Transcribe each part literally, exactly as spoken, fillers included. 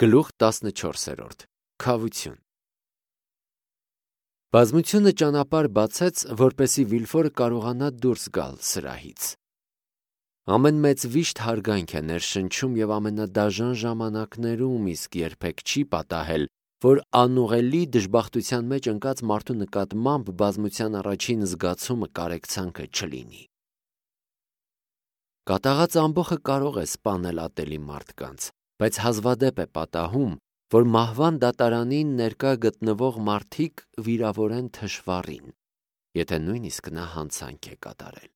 Գլուխ տասնչորսերորդ Քավություն Բազմությունը ճանապարհ բացեց, որպեսզի Վիլֆորը կարողանա դուրս գալ սրահից։ Ամեն մեծ վիշտ հարգանք է ներշնչում և ամենադաժան ժամանակներում, իսկ երբեք չի պատահել, որ անուղելի դժբախտության մեջ ընկած մարդու նկատմամբ բազմության առաջին զգացումը կարեկցանքը չլինի։ Կատաղած ամբոխը կարող է սպանել ատելի մարդկանց, բայց հազվադեպ է պատահում, որ մահվան դատարանին ներկա գտնվող մարդիկ վիրավորեն թշվառին, եթե նույնիսկ նա հանցանք է կատարել։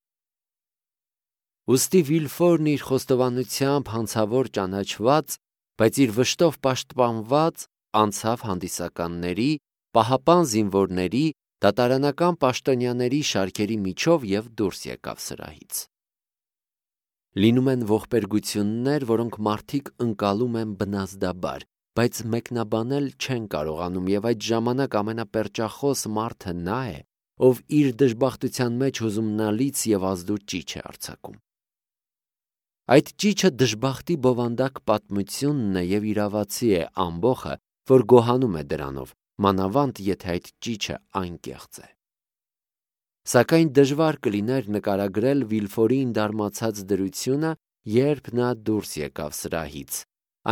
Ուստի Վիլֆորն իր խոստովանությամբ հանցավոր ճանաչված, բայց իր վշտով պաշտպանված, անցավ հանդիսականների, պահապան զինվորների, դատարանական պաշտոնյաների շարքերի միջով և դուրս եկավ սրահից։ Լինում են ողբերգություններ, որոնք մարդիկ ընկալում են բնազդաբար, բայց մեկնաբանել չեն կարողանում, և այդ ժամանակ ամենապերճախոս մարդը նա է, ով իր դժբախտության մեջ հուզումնալից և ազդու ճիչ է արձակում։ Այդ ճիչը դժբախտի բովանդակ պատմությունն է և իրավացի է ամբոխը, որ գոհանում է դրանով, մանավանդ եթե այդ ճիչը անկեղծ է։ Սակայն դժվար կլիներ նկարագրել Վիլֆորին դարմացած դրությունը, երբ նա դուրս եկավ սրահից,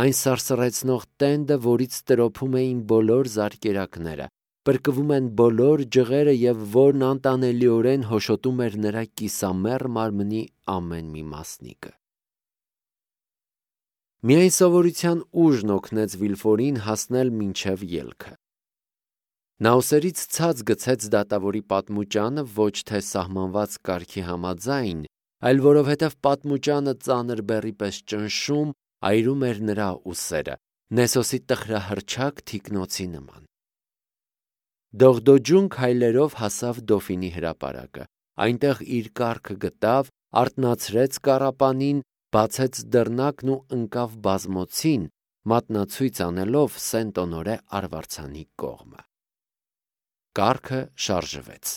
այն սարսռեցնող տենդը, որից տրոփում էին բոլոր զարկերակները, պրկվում են բոլոր ջղերը և որն անտանելիորեն հոշոտում էր նրա կիսամեռ մարմնի ամեն մի մասնիկը։ Միայն սովորության ուժն օգնեց Վիլֆորին հասնել մինչև ելքը։ Նա ուսերից ցած գցեց դատավորի պատմուճանը ոչ թե սահմանված կարգի համաձայն, այլ որովհետև պատմուճանը ծանր բեռի պես ճնշում, այրում էր նրա ուսերը, Նեսոսի տխրահռչակ թիկնոցի նման։ Դողդոջուն քայլերով հասավ Դոֆինի հրապարակը, այնտեղ իր կառքը գտավ, արթնացրեց կառապանին, բացեց դռնակն ու ընկավ բազմոցին, մատնացույց անելով Սենտ-Օնորե արվարձանի կողմը։ Կառքը շարժվեց։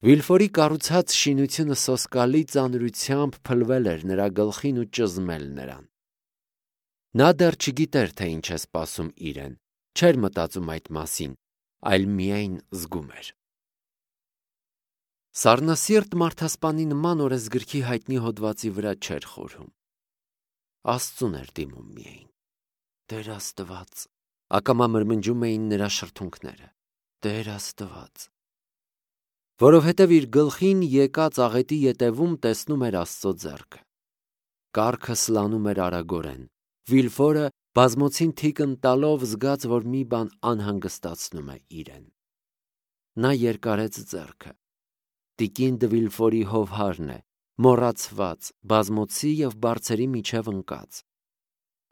Վիլֆորի կառուցած շինությունը սոսկալի ծանրությամբ փլվել էր նրա գլխին ու ճզմել նրան։ Նա դեռ չգիտեր, թե ինչ է սպասում իրեն, չէր մտածում այդ մասին, այլ միայն զգում էր։ Սառնասիրտ մարդասպանի նման օրեսգրքի հայտնի հոդվածի վրա չէր խորհում։ Աստծուն էր դիմում միայն։ Տեր Աստված, ակամա մրմնջում էին նրա շրթունքները։ Տեր Աստված։ Որովհետև իր գլխին եկած աղետի ետևում տեսնում էր Աստծո ձեռքը։ Կառքը սլանում էր արագորեն։ Վիլֆորը բազմոցին թիկն տալով զգաց, որ մի բան անհանգստացնում է իրեն։ Նա երկարեց ձեռքը։ Տիկին Դը Վիլֆորի հովհարն է, մոռացված, բազմոցի և բարձերի միջև ընկած։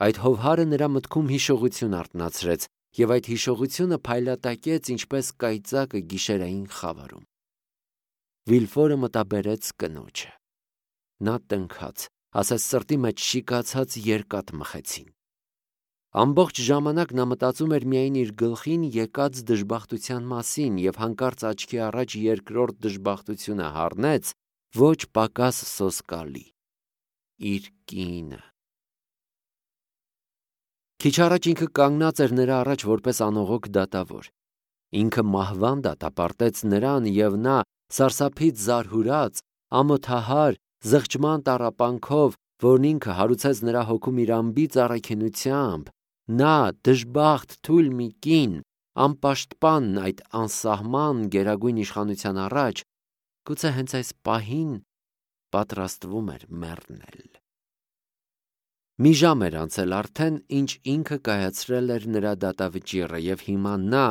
Այդ հովհարը նրա մտքում հիշողություն արթնացրեց, և այդ հիշողությունը փայլատակեց ինչպես կայծակը գիշերային խավարում։ Վիլֆորը մտաբերեց կնոջը։ Նա տնքաց, ասես սրտի մեջ շիկացած երկաթ մխեցին։ Ամբողջ ժամանակ նա մտածում էր միայն իր գլխին եկած դժբախտության մասին և հանկարծ աչքի առաջ երկրորդ դժբախտությունը հառնեց, ոչ պակաս սոսկալի՝ իր կինը։ Քիչ առաջ ինքը կանգնած էր նրա առաջ որպես անողոք դատավոր։ Ինքը մահվան դատապարտեց նրան, և նա, սարսափից զարհուրած, ամոթահար, զղջման տառապանքով, որն ինքը հարուցեց նրա հոգում իր անբիծ առաքինությամբ, նա, դժբախտ, թույլ մի կին, անպաշտպան այդ անսահման գերագույն իշխանության առաջ, գուցե հենց այս պահին պատրաստվում էր մեռնել։ Մի ժամ էր անցել արդեն, ինչ ինքը կայացրել էր նրա դատավճիռը, և հիմա նա,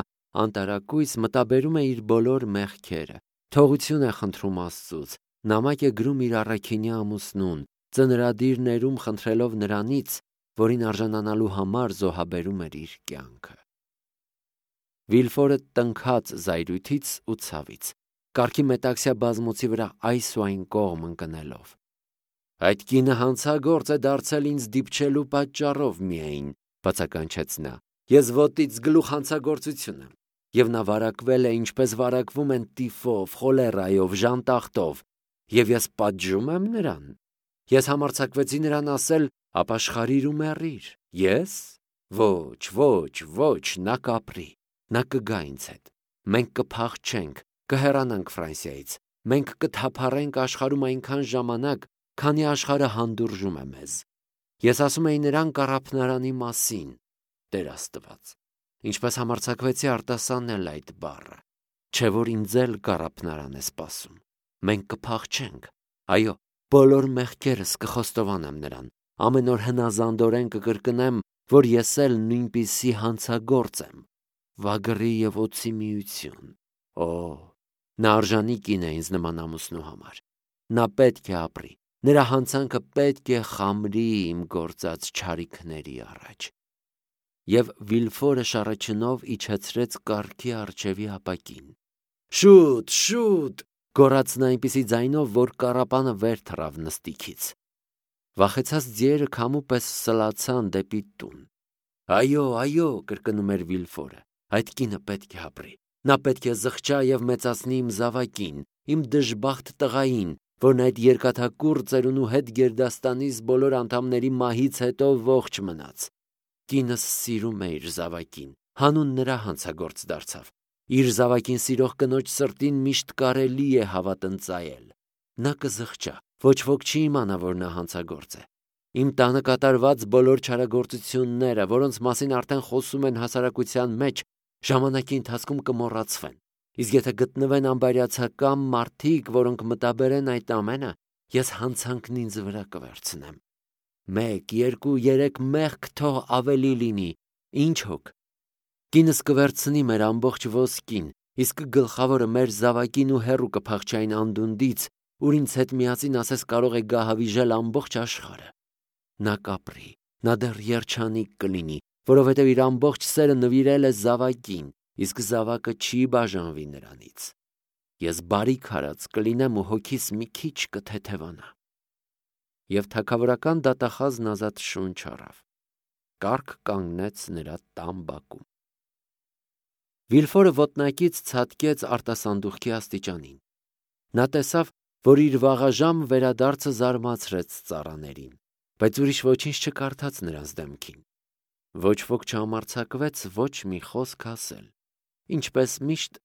անտարակույս, մտաբերում է իր բոլոր մեղքերը, թողություն է խնդրում Աստծուց, նամակ է գրում իր առաքինի ամուսնուն, ծնրադիր ներում խնդրելով նրանից, որին արժանանալու համար զոհաբերում էր իր կյանքը։ Վիլֆորը տնքաց զայրույթից ու ցավից, կառքի մետաքսյա բազմոցի վրա այս ու այն կողմ ընկնելով։ Այդ կինը հանցագործ է դարձել ինձ դիպչելու պատճառով միայն, բացականչեց նա, ես ոտից գլուխ հանցագործություն եմ, և նա վարակվել է, ինչպես վարակվում են տիֆով, խոլերայով, ժանտախտով, և ես պատժում եմ նրան։ Ես համարձակվեցի նրան ասել, ապաշխարիր ու մեռիր։ Ես։ Ոչ, ոչ, ոչ, նա կապրի, նա կգա ինձ հետ։ Մենք կփախչենք, կհեռանանք Ֆրանսիայից։ Մենք կթափառենք աշխարհում այնքան ժամանակ, քանի աշխարհը հանդուրժում է մեզ։ Ես ասում էի նրան կառափնարանի մասին, Տեր Աստված, ինչպես համարձակվեցի արտասանել այդ բառը, չէ որ ինձ էլ կառափնարան է սպասում։ Մենք կփախչենք, այո, բոլոր մեղքերս կխոստովանեմ նրան, ամեն օր հնազանդորեն կկրկնեմ, որ ես էլ նույնպիսի հանցագործ եմ, վագրի և օձի միություն։ Օ, նա արժանի կին է ինձ նման ամուսնու համար։ Նա պետք է ապրի, նրա հանցանքը պետք է խամրի իմ գործած չարիքների առաջ։ Եվ Վիլֆորը շառաչնով իջեցրեց կառքի առջևի ապակին։ Շուտ, շուտ, գոռաց նա այնպիսի ձայնով, որ կառապանը վեր թռավ նստիքից։ Վախեցած ձիերը քամու պես սլացան դեպի տուն։ Այո, այո, կրկնում էր Վիլֆորը, այդ կինը պետք է ապրի։ Նա պետք է զղջա և մեծացնի իմ զավակին, իմ դժբախտ տղային, որն այդ երկաթակուռ ծերունու հետ գերդաստանիս բոլոր անդամների մահից հետո ողջ մնաց։ Կինս սիրում է իր զավակին, հանուն նրա հանցագործ դարձավ։ Իր զավակին սիրող կնոջ սրտին միշտ կարելի է հավատ ընծայել։ Նա կզղջա, ոչ ոք չի իմանա, որ նա հանցագործ է։ Իմ տանը կատարված բոլոր չարագործությունները, որոնց մասին արդեն խոսում են հասարակության մեջ, ժամանակի ընթացքում կմոռացվեն։ Իսկ եթե գտնվեն անբարյացակամ մարդիկ, որոնք մտաբերեն այդ ամենը, ես հանցանքն ինձ վրա կվերցնեմ։ Մեկ, երկու, երեք մեղք թող ավելի լինի, ինչ հոգ։ Կինս կվերցնի մեր ամբողջ ոսկին, իսկ գլխավորը մեր զավակին ու հեռու կփախչի այն անդունդից, ուր ինձ հետ միասին ասես կարող է գահավիժել ամբողջ աշխարհը։ Նա կապրի, նա դեռ երջանիկ կլինի, որովհետև իր ամբողջ սերը նվիրել է զավակին, իսկ զավակը չի բաժանվի նրանից։ Ես բարիք արած կլինեմ ու հոգիս մի քիչ կթեթևանա։ Եվ թագավորական դատախազն ազատ շունչ առավ։ Կառք կանգնեց նրա տան բակում։ Վիլֆորը ոտնակից ցատկեց արտասանդուղքի աստիճանին։ Նա տեսավ, որ իր վաղաժամ վերադարձը զարմացրեց ծառաներին, բայց ուրիշ ոչինչ չկարդաց նրանց դեմքին։ Ոչ ոք չհամարձակվեց ոչ մի խոսք ասել, ինչպես միշտ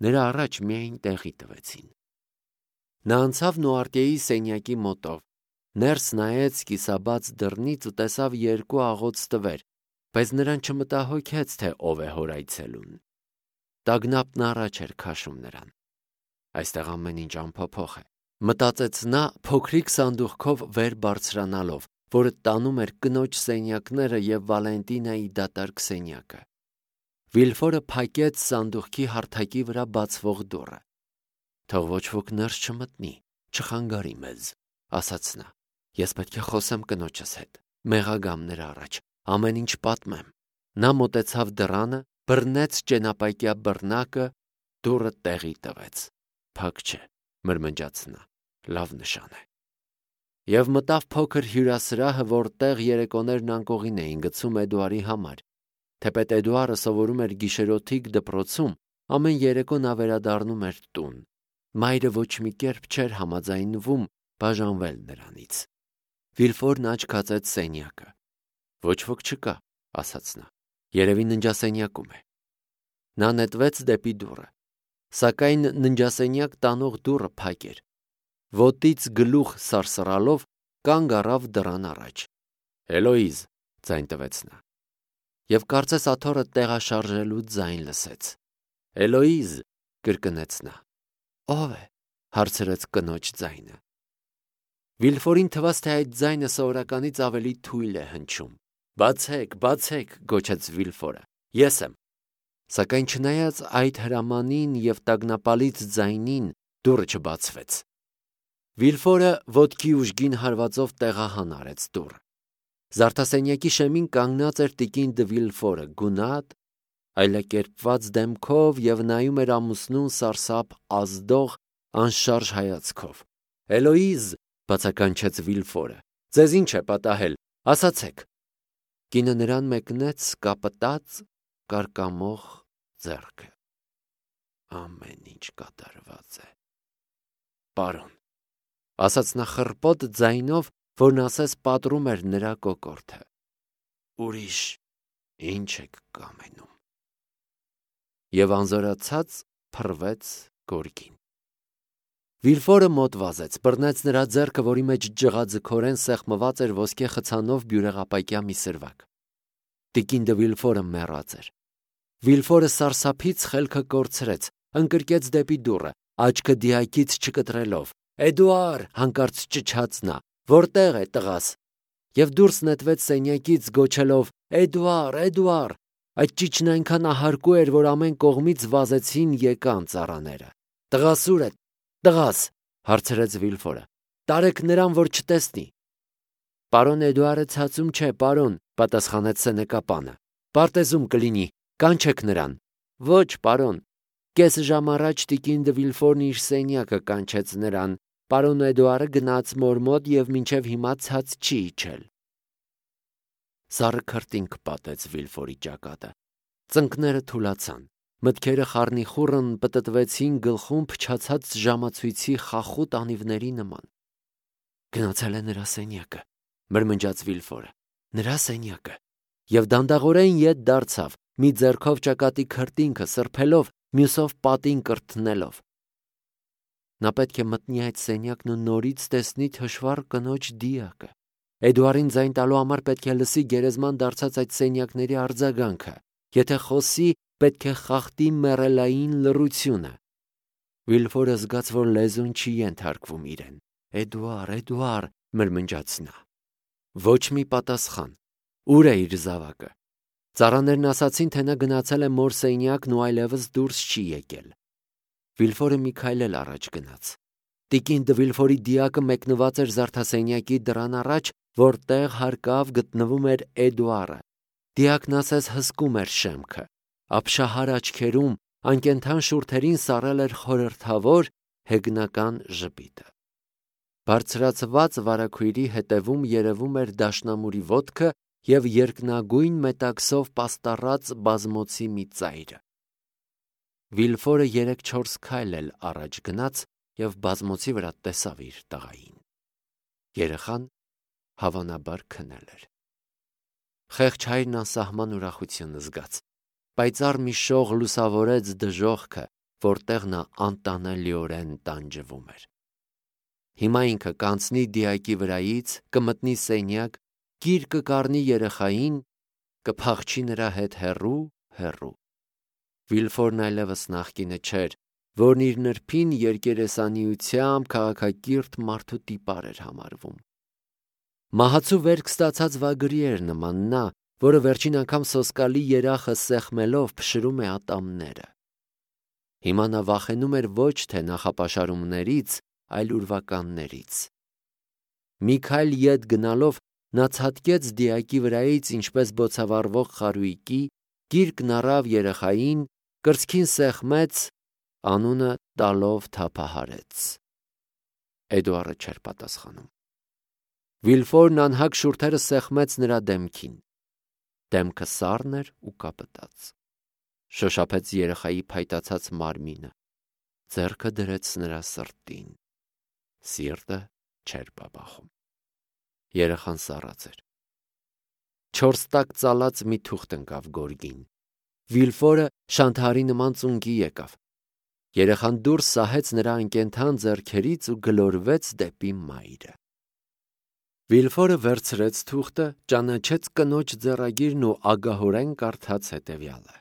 նրա առաջ միայն տեղի տվեցին։ Նա անցավ Նուարտիեի սենյակի մոտով, ներս նայեց կիսաբաց դռնից ու տեսավ երկու աղոց տվեր, բայց նրան չմտահոգեց, թե ով է հոր այցելուն։ Տագնապն առաջ էր քաշում նրան։ Այստեղ ամեն ինչ անփոփոխ է, մտածեց նա փոքրիկ սանդուղքով վեր բարձրանալով, որը տանում էր կնոջ սենյակները և Վալենտինայի դատարկ սենյակը։ Վիլֆորը փակեց սանդուղքի հարթակի վրա բացվող դուռը։ Թող ոչ ոք ներս չմտնի, չխանգարի մեզ, ասաց նա։ Ես պետք է խոսեմ կնոջս հետ, մեղագամ նրա առաջ, ամեն ինչ պատմեմ։ Նա մոտեցավ դռանը, բռնեց ճենապակյա բռնակը, դուռը տեղի տվեց։ Փակ չէ, մրմնջաց նա, լավ նշան է։ Եվ մտավ փոքր հյուրասրահը, որտեղ երեկոներն անկողին էին գցում Էդուարի համար։ Թեպետ Էդուարը սովորում էր գիշերօթիկ դպրոցում, ամեն երեկո նա վերադառնում էր տուն։ Մայրը ոչ մի կերպ չէր համաձայնվում բաժանվել նրանից։ Վիլֆորն աչք հացեց սենյակը։ Ոչ ոք չկա, ասաց նա։ Երևի ննջասենյակում է։ Նա նետվեց դեպի դուռը, սակայն ննջասենյակ տանող դուռը փակ էր։ Ոտից գլուխ սարսռալով կանգ առավ դռան առաջ։ Էլոիզ, ձայն տվեց նա։ Եվ կարծես աթոռը տեղաշարժելու ձայն լսեց։ Էլոիզ, կրկնեց նա։ Ո՞վ է, հարցրեց կնոջ ձայնը։ Վիլֆորին թվաց, թե այդ ձայնը սովորականից ավելի թույլ է հնչում։ Բացեք, բացեք, գոչեց Վիլֆորը։ Ես եմ։ Սակայն չնայած այդ հրամանին և տագնապալից ձայնին, դուռը չբացվեց։ Վիլֆորը ոտքի ուժգին հարվածով տեղահան արեց դուռը։ Զարդասենյակի շեմին կանգնած էր տիկին դը Վիլֆորը, գունատ, այլակերպված դեմքով և նայում էր ամուսնուն սարսափ ազդող, անշարժ հայացքով։ Էլոիզ, բացականչեց Վիլֆորը, ձեզ ինչ է պատահել, ասացեք։ Կինը նրան մեկնեց կապտած, կարկամող ձեռքը։ Ամեն ինչ կատարված է։ Պարոն, ասաց նա խռպոտ ձայնով որն ասես պատռում էր նրա կոկորդը։ Ուրիշ ինչ եք կամենում։ Եվ անզորացած փռվեց գորգին։ Վիլֆորը մոտ վազեց, բռնեց նրա ձեռքը, որի մեջ ջղաձգորեն սեղմված էր ոսկե խցանով բյուրեղապակյա մի սրվակ։ Տիկին դը Վիլֆորը մեռած էր։ Վիլֆորը սարսափից խելքը կորցրեց, ընկրկեց դեպի դուռը, աչքը դիակից չկտրելով։ Էդուար, հանկարծ ճչաց նա, որտեղ է տղաս։ Եվ դուրս նետվեց սենյակից գոչելով. Էդուար, Էդուար։ Այդ ճիչն այնքան ահարկու էր, որ ամեն կողմից վազեցին եկան ծառաները։ Տղաս ուր է, տղաս, հարցրեց Վիլֆորը։ Տարեք նրան, որ չտեսնի։ Պարոն Էդուարը ցածում չէ, պարոն, պատասխանեց սենեկապանը։ Պարտեզում կլինի, կանչեք նրան։ Ոչ, պարոն։ Կես ժամ առաջ տիկին դը Վիլֆորն իր սենյակը կանչեց նրան։ Պարոն Էդուարը գնաց մոր մոտ եւ մինչեւ հիմա ցած չի իջել։ Սառը քրտինք պատեց Վիլֆորի ճակատը։ Ծնկները թուլացան։ Մտքերը խառնիխուռն պտտվեցին գլխում փչացած ժամացույցի խախուտ անիվների նման։ Գնացել է նրա սենյակը, մրմնջաց Վիլֆորը։ Նրա սենյակը։ Եվ դանդաղորեն ետ դարձավ, մի ձեռքով ճակատի քրտինքը սրբելով, մյուսով պատին կրթնելով։ Նա պետք է մտնի այդ սենյակն ու նորից տեսնի թշվառ կնոջ դիակը։ Էդուարին ձայն տալու համար պետք է լսի գերեզման դարձած այդ սենյակների արձագանքը։ Եթե խոսի, պետք է խախտի մեռելային լռությունը։ Վիլֆորը զգաց, որ լեզուն չի ենթարկվում իրեն։ Էդուար, Էդուար, մրմնջաց նա։ Ոչ մի պատասխան։ Ուր է իր զավակը։ Ծառաներն ասացին, թե նա գնացել է մոր սենյակն ու այլևս դուրս չի եկել։ Վիլֆորը մի քայլ էլ առաջ գնաց։ Տիկին դը Վիլֆորի դիակը մեկնված էր զարդասենյակի դռան առաջ, որտեղ հարկավ գտնվում էր Էդուարը։ Դիակն ասես հսկում էր շեմքը։ Ապշահար աչքերում, անկենթան շուրթերին սառել էր խորհրդավոր հեգնական ժպիտը։ Բարձրացված վարագույրի հետևում երևում էր դաշնամուրի ոտքը և երկնագույն մետաքսով պաստառած բազմոցի մի ծայրը։ Վիլֆորը երեք-չորս քայլ էլ առաջ գնաց և բազմոցի վրա տեսավ իր տղային։ Երեխան հավանաբար քնել էր։ Խեղճ հայրն անսահման ուրախություն զգաց։ Պայծառ մի շող լուսավորեց դժոխքը, որտեղ նա անտանելիորեն տանջվում էր։ Հիմա ինքը կանցնի դիակի վրայից, կմտնի սենյակ, գիր կկառնի երեխային, կփախչի նրա հետ հեռու, հեռու։ Վիլֆորն այլևս նախկինը չէր, որն իր նրբին երկերեսանիությամբ քաղաքակիրթ մարդու տիպար էր համարվում։ Մահացու վերք ստացած վագրի էր նման նա, որը վերջին անգամ սոսկալի երախը սեղմելով փշրում է ատամները։ Հիմա նա վախենում էր ոչ թե նախապաշարումներից, այլ ուրվականներից։ Մի քայլ ետ գնալով նա ցատկեց դիակի վրայից ինչպես բոցավառվող խարույկի, գիրկն առավ երեխային, կրծքին սեղմեց, անունը տալով թափահարեց։ Էդուարը չէր պատասխանում։ Վիլֆորն անհագ շուրթերը սեղմեց նրա դեմքին։ Դեմքը սառն էր ու կապտած։ Շոշափեց երեխայի փայտացած մարմինը, ձեռքը դրեց նրա սրտին։ Սիրտը չէր բաբախում։ Երեխան սառած էր։ Չորս տակ ծալած մի թուղթ ընկավ գորգին։ Վիլֆորը շանթարի նման ծունկի եկավ։ Երեխան դուրս սահեց նրա անկենթան ձեռքերից ու գլորվեց դեպի մայրը։ Վիլֆորը վերցրեց թուղթը, ճանաչեց կնոջ ձեռագիրն ու ագահորեն կարդաց հետևյալը.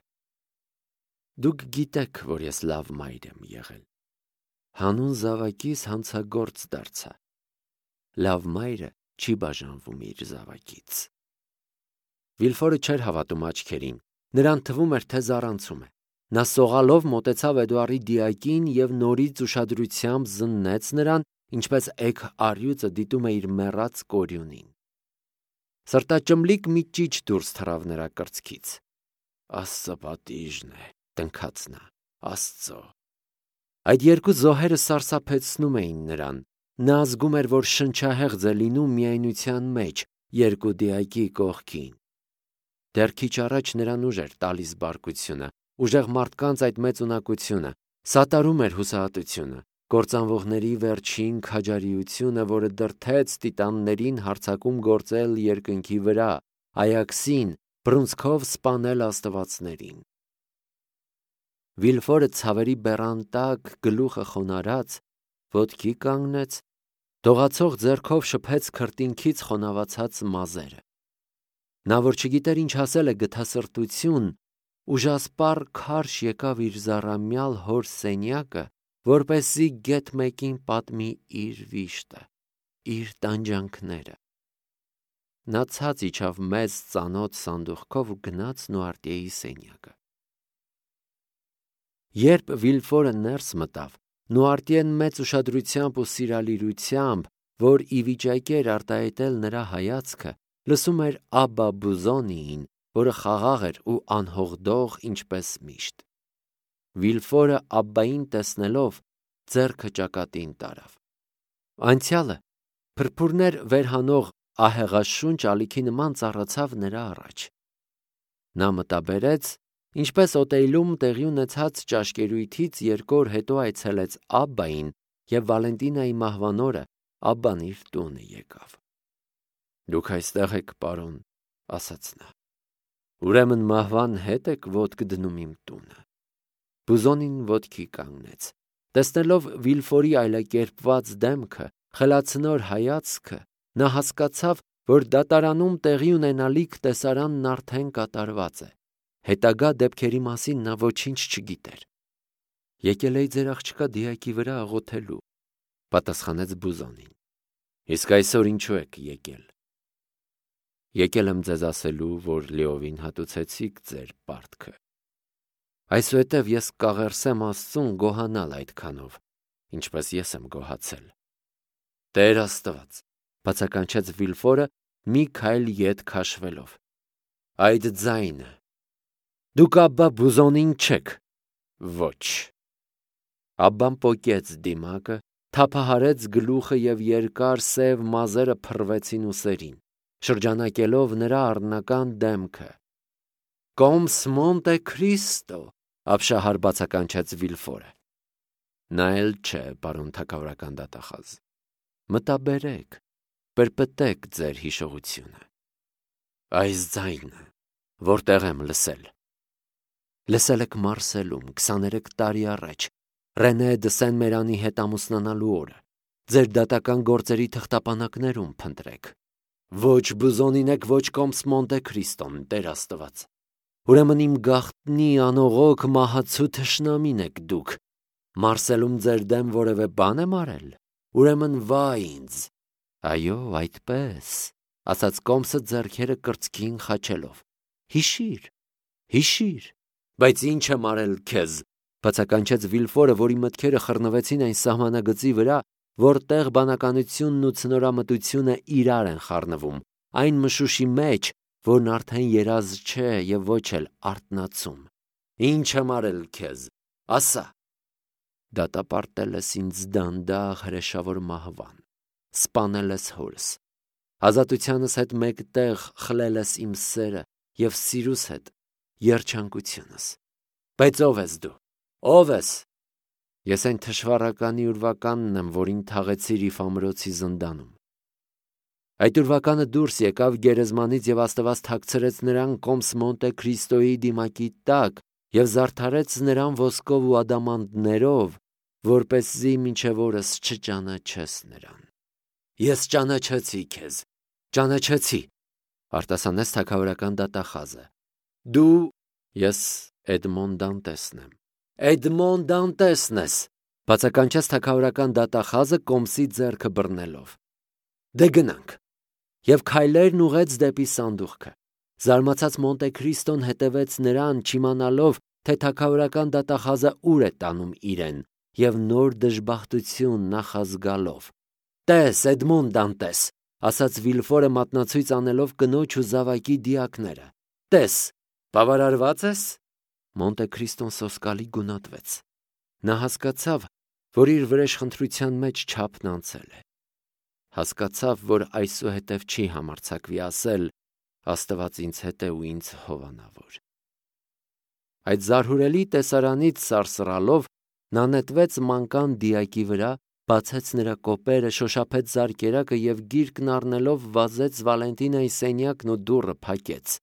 Դուք գիտեք, որ ես լավ մայր եմ եղել։ Հանուն զավակիս հանցագործ դարձա։ Լավ մայրը չի բաժանվում իր զավակից։ Վիլֆորը չէր հավատում աչքերին, նրան թվում էր, թե զառանցում է։ Նա սողալով մոտեցավ Էդուարի դիակին և նորից ուշադրությամբ զննեց նրան, ինչպես էգ առյուծը դիտում է իր մեռած կորյունին։ Սրտաճմլիկ մի ճիչ դուրս թռավ նրա կրծքից։ Աստծո պատիժն է, տնքաց նա, Աստծո։ Այդ երկու զոհերը սարսափեցնում էին նրան։ Նա զգում էր, որ շնչահեղձ է լինում միայնության մեջ, երկու դիակի կողքին։ Դեռ քիչ առաջ նրան ուժ էր տալիս բարկությունը, ուժեղ մարդկանց այդ մեծ ունակությունը, սատարում էր հուսահատությունը, կործանվողների վերջին քաջարիությունը, որը դրդեց տիտաններին հարձակում գործել երկնքի վրա, Այաքսին բռունցքով սպանել աստվածներին։ Վիլֆորը ցավերի բեռան տակ գլուխը խոնարհած ոտքի կանգնեց, դողացող ձեռքով շփեց քրտինքից խոնավացած մազերը։ Նա, որ չգիտեր ինչ ասել է գթասրտություն, ուժասպառ քարշ եկավ իր զառամյալ հոր սենյակը, որպեսզի գեթ մեկին պատմի իր վիշտը, իր տանջանքները։ Նա ցած իջավ մեծ ծանոթ սանդուղքով ու գնաց Նուարտիեի սենյակը։ Երբ Վիլֆորը ներս մտավ, Նուարտիեն մեծ ուշադրությամբ ու սիրալիրությամբ, որ ի վիճակի էր արտահայտել նրա հայացքը, լսում էր Աբբա Բուզոնիին, որը խաղաղ էր ու անհողդող ինչպես միշտ։ Վիլֆորը Աբբային տեսնելով ձեռքը ճակատին տարավ։ Անցյալը փրփուրներ վերհանող ահեղաշունչ ալիքի նման ծառացավ նրա առաջ։ Նա մտաբերեց, ինչպես օտեյլում տեղի ունեցած ճաշկերույթից երկու օր հետո այցելեց Աբբային և Վալենտինայի մահվան օրը Աբբան իր տունը եկավ։ «Դուք այստեղ եք, պարոն», ասաց նա։ «Ուրեմն մահվան հետ եք ոտք դնում իմ տունը»։ Բուզոնին ոտքի կանգնեց։ Տեսնելով Վիլֆորի այլակերպված դեմքը, խելացնոր հայացքը, նա հասկացավ, որ դատարանում տեղի ունենալիք տեսարանն արդեն կատարված է։ Հետագա դեպքերի մասին նա ոչինչ չգիտեր։ «Եկել էի ձեր աղջկա դիակի վրա աղոթելու», պատասխանեց Բուզոնին։ «Իսկ այսօր ինչու եք եկել»։ «Եկել եմ ձեզ ասելու, որ լիովին հատուցեցիք ձեր պարտքը։ Այսուհետև ես կաղերսեմ Աստծուն գոհանալ այդքանով, ինչպես ես եմ գոհացել»։ «Տեր Աստված», բացականչեց Վիլֆորը մի քայլ ետ քաշվելով։ «Այդ ձայնը։ Դուք Աբբա Բուզոնին չեք»։ «Ոչ»։ Աբբան պոկեց դիմակը, թափահարեց գլուխը և երկար սև մազերը փռվեցին ուսերին, շրջանակելով նրա առնական դեմքը։ «Կոմս Մոնտե Քրիստո», ապշահար բացականչեց Վիլֆորը։ «Նա էլ չէ, պարոն թագավորական դատախազ։ Մտաբերեք, պրպտեք ձեր հիշողությունը»։ «Այս ձայնը որտեղ եմ լսել»։ «Լսել եք Մարսելում քսաներեք տարի առաջ, Ռենե դը Սեն-Մերանի հետ ամուսնանալու օրը։ Ձեր դատական գործերի թղթապանակներում փնտրեք։ Ոչ Բուզոնին եք, ոչ Կոմս Մոնտե Քրիստոն, Տեր Աստված։ Ուրեմն իմ գաղտնի անողոք մահացու թշնամին եք դուք։ Մարսելում ձեր դեմ որևէ բան եմ արել։ Ուրեմն վա ինձ»։ «Այո, այդպես», ասաց Կոմսը ձեռքերը կրծքին խաչելով։ «Հիշիր, հիշիր»։ «Բայց ինչ եմ արել քեզ», բացականչեց Վիլֆորը, որի մտքերը խռնվեցին այն սահմանագծի վրա, որտեղ բանականությունն ու ցնորամտությունը իրար են խառնվում, այն մշուշի մեջ, որն արդեն երազ չէ և ոչ էլ արթնացում։ «Ինչ եմ արել քեզ, ասա»։ «Դատապարտել ես ինձ դանդաղ հրեշավոր մահվան, սպանել ես հորս, ազատությանս հետ մեկտեղ խլել ես իմ սերը և սիրուս հետ երջանկությունս։ Բայց ո՞վ ես դու, ո՞վ ես»։ «Ես այն թշվառականի ուրվականն եմ, որին թաղեցիր Իֆ ամրոցի զնդանում։ Այդ ուրվականը դուրս եկավ գերեզմանից և Աստված թաքցրեց նրան Կոմս Մոնտե Քրիստոյի դիմակի տակ և զարդարեց նրան ոսկով ու ադամանդներով, որպեսզի մինչև օրս չճանաչես նրան»։ «Ես ճանաչեցի քեզ, ճանաչեցի», արտասանեց թագավորական դատախազը։ «Դու»։ «Ես Էդմոն Դանտեսն եմ»։ «Էդմոն Դանտեսն ես», բացականչեց թագավորական դատախազը Կոմսի ձեռքը բռնելով։ «Դե գնանք»։ Եվ քայլերն ուղղեց դեպի սանդուղքը։ Զարմացած Մոնտե Քրիստոն հետևեց նրան, չիմանալով, թե թագավորական դատախազը ուր է տանում իրեն, և նոր դժբախտություն նախազգալով։ «Տես, Էդմոն Դանտես», ասաց Վիլֆորը մատնացույց անելով կնոջ ու զավակի դիակները։ «Տես, բավարարվա՞ծ ես»։ Մոնտե Քրիստոն սոսկալի գունատվեց։ Նա հասկացավ, որ իր վրեժխնդրության մեջ չափն անցել է։ Հասկացավ, որ այսուհետև չի համարձակվի ասել. «Աստված ինձ հետ է ու ինձ հովանավոր»։ Այդ զարհուրելի տեսարանից սարսռալով Նա նետվեց մանկան դիակի վրա, բացեց նրա կոպերը, շոշափեց զարկերակը և գիրկն առնելով վազեց Վալենտինայի սենյակն ու դուռը փակեց։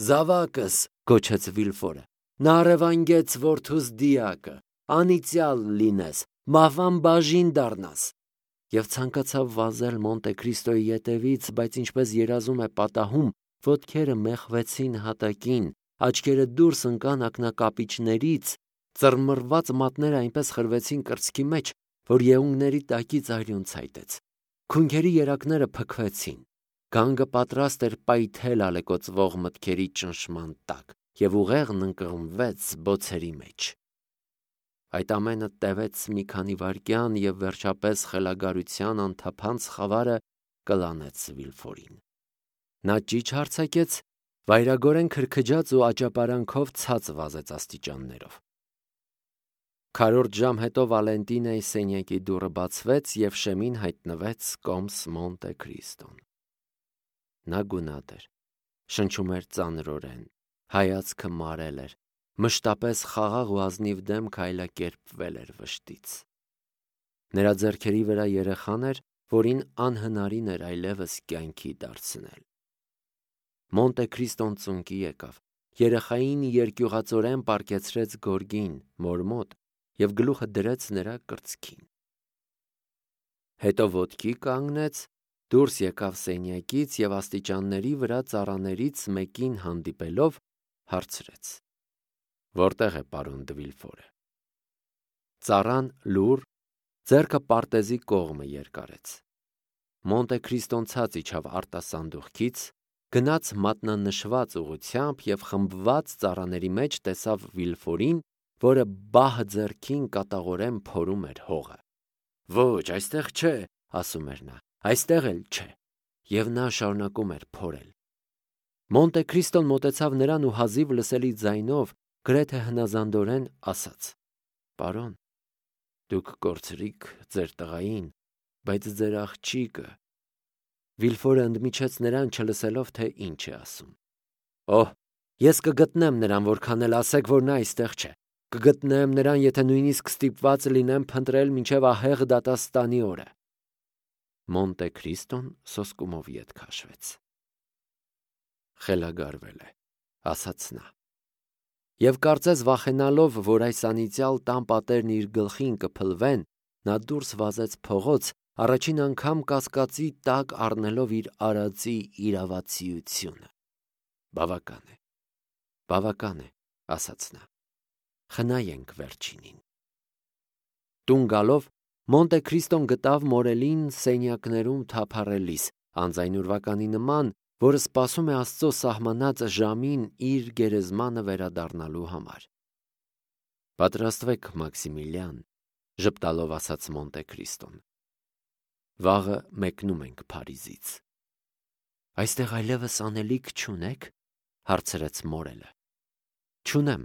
«Զավակս», գոչեց Վիլֆորը, «նա առևանգեց որդուս դիակը, անիծյալ լինես, մահվան բաժին դառնաս»։ Եվ ցանկացավ վազել Մոնտե Քրիստոյի ետևից, բայց ինչպես երազում է պատահում, ոտքերը մեխվեցին հատակին, աչքերը դուրս ընկան ակնակապիճներից, ծռմռված մատները այնպես խրվեցին կրծքի մեջ, որ եղունգների տակից արյուն ցայտեց։ Քունքերի երակները փքվեցին։ Գանգը պատրաստ էր պայթել ալեկոծվող մտքերի ճնշման տակ, և ուղեղն ընկղմվեց բոցերի մեջ։ Այդ ամենը տևեց մի քանի վայրկյան, և վերջապես խելագարության անթափանց խավարը կլանեց Վիլֆորին։ Նա ճիչ հարձակեց, վայրագորեն քրքջաց ու աճապարանքով ցած վազեց աստիճաններով։ Քառորդ ժամ հետո Վալենտինայի սենյակի դուռը բացվեց, և շեմին հայտնվեց կոմս Մոնտե Քրիստոն։ Նա գունատ էր, շնչում էր ծանրորեն, հայացքը մարել էր, մշտապես խաղաղ ու ազնիվ դեմքը այլակերպվել էր վշտից։ Նրա ձեռքերի վրա երեխան էր, որին անհնարին էր այլևս կյանքի դարձնել։ Մոնտե Քրիստոն ծունկի եկավ, երեխային երկյուղածորեն պառկեցրեց գորգին, մոր մոտ, և գլուխը դրեց նրա կրծքին։ Հետո ոտքի կանգնեց, դուրս եկավ սենյակից և աստիճանների վրա ծառաներից մեկին հանդիպելով հարցրեց. «Որտե՞ղ է պարոն Դը Վիլֆորը»։ Ծառան լուռ, ձեռքը պարտեզի կողմը երկարեց։ Մոնտե Քրիստոն ցած իջավ արտասանդուղքից, գնաց մատնանշված ուղղությամբ և խմբված ծառաների մեջ տեսավ Վիլֆորին, որը բահ ձեռքին կատաղորեն փորում էր հողը։ «Ոչ, այստեղ չէ», ասում էր նա, «այստեղ էլ չէ», և նա շարունակում էր փորել։ Մոնտե Քրիստոն մոտեցավ նրան ու հազիվ լսելի ձայնով, գրեթե հնազանդորեն ասաց. «Պարոն, դուք կորցրիք ձեր տղային, բայց ձեր աղջիկը…»։ Վիլֆորը ընդմիջեց նրան, չլսելով, թե ինչ է ասում։ «Օհ, ես կգտնեմ նրան, որքան էլ ասեք, որ նա այստեղ չէ։ Կգտնեմ նրան, եթե նույնիսկ ստիպված լինեմ փնտրել մինչև ահեղ դատաստանի օրը»։ Մոնտե Քրիստոն սոսկումով ետ քաշվեց։ «Խելագարվել է», ասաց նա։ Եվ կարծես վախենալով, որ այս անիծյալ տան պատերն իր գլխին կփլվեն, նա դուրս վազեց փողոց, առաջին անգամ կասկածի տակ առնելով իր արածի իրավացիությունը։ «Բավական է, բավական է», ասաց նա, «խնայենք վերջինին»։ Տուն գալով Մոնտե Քրիստոն գտավ մորելին սենյակներում թափառելիս, անձայն ուրվականի նման, որը սպասում է Աստծո սահմանած ժամին իր գերեզմանը վերադառնալու համար։ «Պատրաստվեք, Մաքսիմիլիան», ժպտալով ասաց Մոնտե Քրիստոն։ «Վաղը մեկնում ենք Փարիզից»։ «Այստեղ այլևս անելիք չունե՞ք», հարցրեց մորելը։ «Չունեմ»,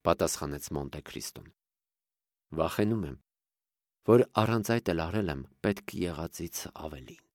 պատասխանեց Մոնտե Քրիստոն։ «Վախենում եմ, որ առանց այդ էլ արել եմ պետք եղածից ավելին»։